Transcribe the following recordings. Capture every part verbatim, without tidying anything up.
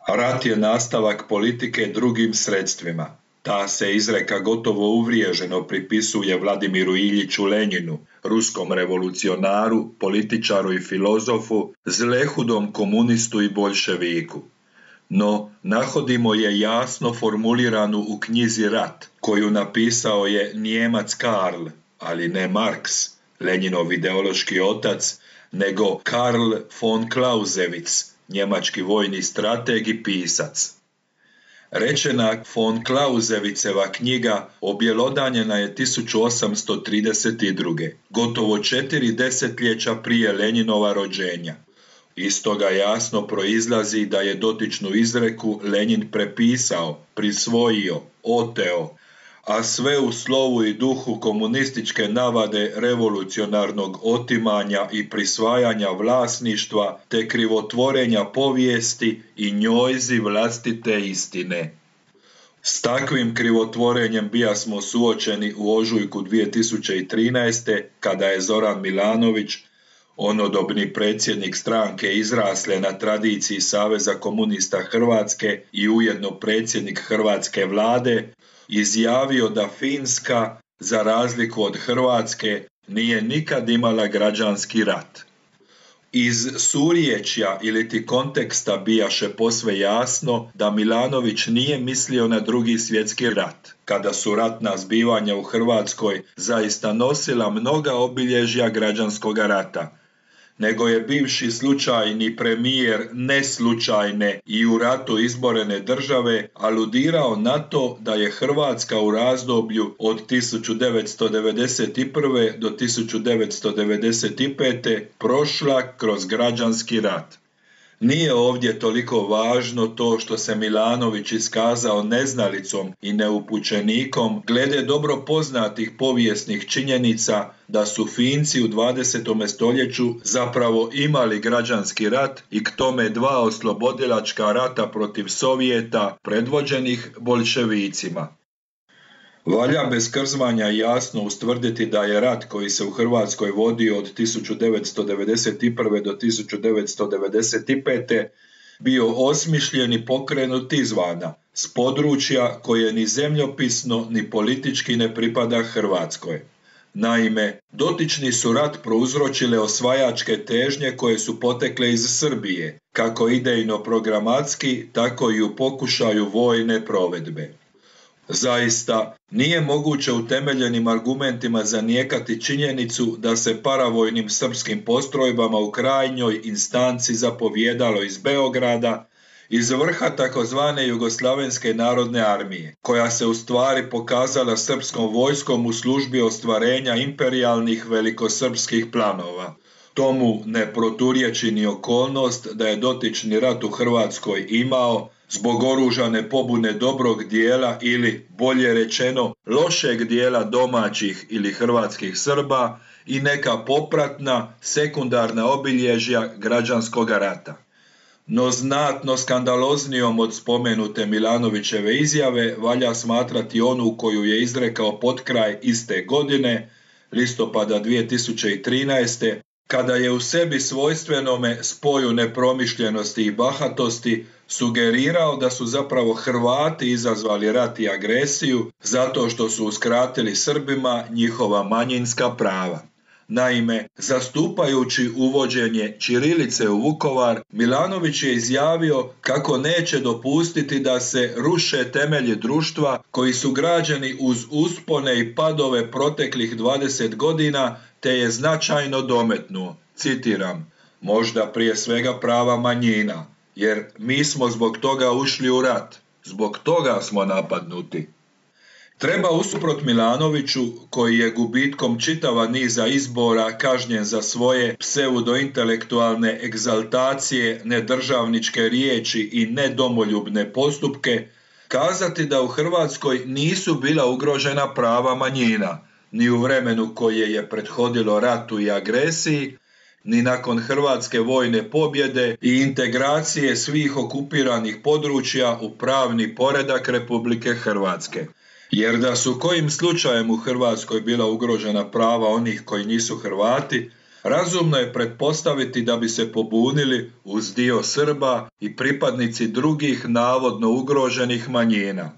Rat je nastavak politike drugim sredstvima. Ta se izreka gotovo uvriježeno pripisuje Vladimiru Iljiću Lenjinu, ruskom revolucionaru, političaru i filozofu, zlehudom komunistu i boljševiku. No, nahodimo je jasno formuliranu u knjizi Rat, koju napisao je Nijemac Karl, ali ne Marks, Lenjinov ideološki otac, nego Karl von Clausewitz, njemački vojni strateg i pisac. Rečena von Clausewitzeva knjiga objelodanjena je tisuću osamsto trideset druge. gotovo četiri desetljeća prije Lenjinova rođenja. Iz toga jasno proizlazi da je dotičnu izreku Lenjin prepisao, prisvojio, oteo, a sve u slovu i duhu komunističke navade revolucionarnog otimanja i prisvajanja vlasništva te krivotvorenja povijesti i njojzi vlastite istine. S takvim krivotvorenjem bija smo suočeni u ožujku dvije tisuće trinaeste. kada je Zoran Milanović, onodobni predsjednik stranke izrasle na tradiciji Saveza komunista Hrvatske i ujedno predsjednik hrvatske vlade, izjavio da Finska, za razliku od Hrvatske, nije nikad imala građanski rat. Iz suriječja iliti konteksta bijaše posve jasno da Milanović nije mislio na Drugi svjetski rat, kada su ratna zbivanja u Hrvatskoj zaista nosila mnoga obilježja građanskog rata, nego je bivši slučajni premijer neslučajne i u ratu izborene države aludirao na to da je Hrvatska u razdoblju od tisuću devetsto devedeset prve. do tisuću devetsto devedeset pete. prošla kroz građanski rat. Nije ovdje toliko važno to što se Milanović iskazao neznalicom i neupućenikom glede dobro poznatih povijesnih činjenica da su Finci u dvadesetom stoljeću zapravo imali građanski rat i k tome dva oslobodilačka rata protiv Sovjeta predvođenih boljševicima. Valja bez krzmanja jasno ustvrditi da je rat koji se u Hrvatskoj vodio od tisuću devetsto devedeset prve. do tisuću devetsto devedeset pete. bio osmišljen i pokrenut izvana, s područja koje ni zemljopisno ni politički ne pripada Hrvatskoj. Naime, dotični su rat prouzročile osvajačke težnje koje su potekle iz Srbije, kako idejno programatski, tako i u pokušaju vojne provedbe. Zaista, nije moguće utemeljenim argumentima zanijekati činjenicu da se paravojnim srpskim postrojbama u krajnjoj instanci zapovijedalo iz Beograda, iz vrha takozvane Jugoslavenske narodne armije, koja se u stvari pokazala srpskom vojskom u službi ostvarenja imperijalnih velikosrpskih planova. Tomu ne proturječi ni okolnost da je dotični rat u Hrvatskoj imao, zbog oružane pobune dobrog dijela ili, bolje rečeno, lošeg dijela domaćih ili hrvatskih Srba i neka popratna, sekundarna obilježja građanskog rata. No znatno skandaloznijom od spomenute Milanovićeve izjave valja smatrati onu koju je izrekao potkraj iste godine, listopada dvije tisuće trinaeste. kada je u sebi svojstvenome spoju nepromišljenosti i bahatosti sugerirao da su zapravo Hrvati izazvali rat i agresiju zato što su uskratili Srbima njihova manjinska prava. Naime, zastupajući uvođenje ćirilice u Vukovar, Milanović je izjavio kako neće dopustiti da se ruše temelji društva koji su građeni uz uspone i padove proteklih dvadeset godina, te je značajno dometnuo, citiram, možda prije svega prava manjina, jer mi smo zbog toga ušli u rat, zbog toga smo napadnuti. Treba usuprot Milanoviću, koji je gubitkom čitava niza izbora kažnjen za svoje pseudointelektualne egzaltacije, nedržavničke riječi i nedomoljubne postupke, kazati da u Hrvatskoj nisu bila ugrožena prava manjina, ni u vremenu koje je prethodilo ratu i agresiji, ni nakon hrvatske vojne pobjede i integracije svih okupiranih područja u pravni poredak Republike Hrvatske. Jer da su kojim slučajem u Hrvatskoj bila ugrožena prava onih koji nisu Hrvati, razumno je pretpostaviti da bi se pobunili uz dio Srba i pripadnici drugih navodno ugroženih manjina.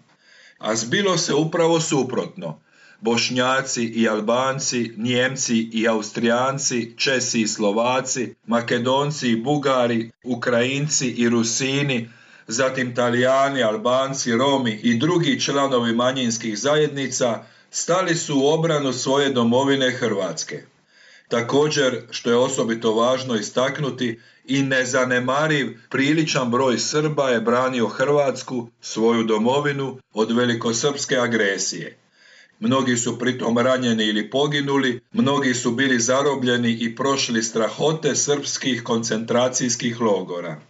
A zbilo se upravo suprotno. Bošnjaci i Albanci, Nijemci i Austrijanci, Česi i Slovaci, Makedonci i Bugari, Ukrajinci i Rusini, zatim Talijani, Albanci, Romi i drugi članovi manjinskih zajednica stali su u obranu svoje domovine Hrvatske. Također, što je osobito važno istaknuti, i nezanemariv priličan broj Srba je branio Hrvatsku, svoju domovinu, od velikosrpske agresije. Mnogi su pritom ranjeni ili poginuli, mnogi su bili zarobljeni i prošli strahote srpskih koncentracijskih logora.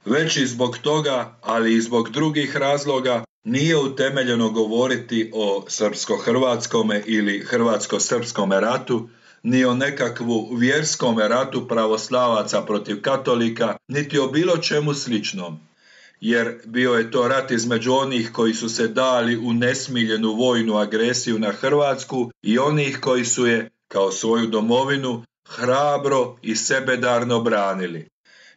Već i zbog toga, ali i zbog drugih razloga, nije utemeljeno govoriti o srpsko-hrvatskome ili hrvatsko-srpskome ratu, ni o nekakvu vjerskome ratu pravoslavaca protiv katolika, niti o bilo čemu sličnom. Jer bio je to rat između onih koji su se dali u nesmiljenu vojnu agresiju na Hrvatsku i onih koji su je, kao svoju domovinu, hrabro i sebedarno branili.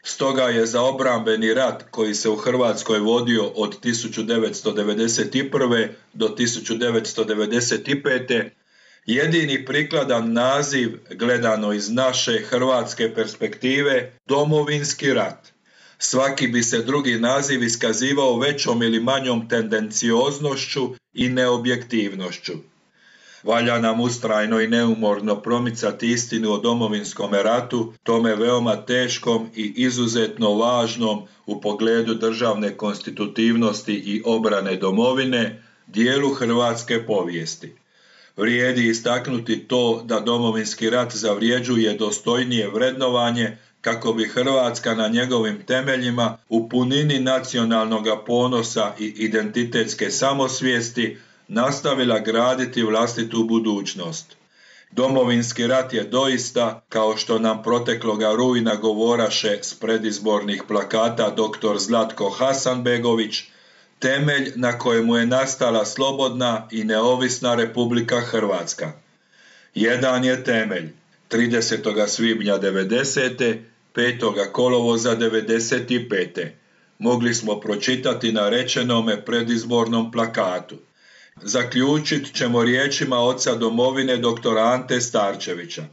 Stoga je za obrambeni rat koji se u Hrvatskoj vodio od tisuću devetsto devedeset prve. do tisuću devetsto devedeset pete. jedini prikladan naziv, gledano iz naše hrvatske perspektive, Domovinski rat. Svaki bi se drugi naziv iskazivao većom ili manjom tendencioznošću i neobjektivnošću. Valja nam ustrajno i neumorno promicati istinu o Domovinskom ratu, tome veoma teškom i izuzetno važnom u pogledu državne konstitutivnosti i obrane domovine, dijelu hrvatske povijesti. Vrijedi istaknuti to da Domovinski rat zavređuje dostojnije vrednovanje kako bi Hrvatska na njegovim temeljima u punini nacionalnog ponosa i identitetske samosvijesti nastavila graditi vlastitu budućnost. Domovinski rat je doista, kao što nam protekloga rujna govoraše s predizbornih plakata doktor Zlatko Hasanbegović, temelj na kojemu je nastala slobodna i neovisna Republika Hrvatska. Jedan je temelj, tridesetog svibnja devedesete. petog kolovoza devedeset pete. Mogli smo pročitati na rečenome predizbornom plakatu. Zaključit ćemo riječima oca domovine doktora Ante Starčevića.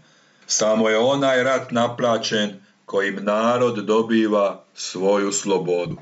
Samo je onaj rat naplaćen kojim narod dobiva svoju slobodu.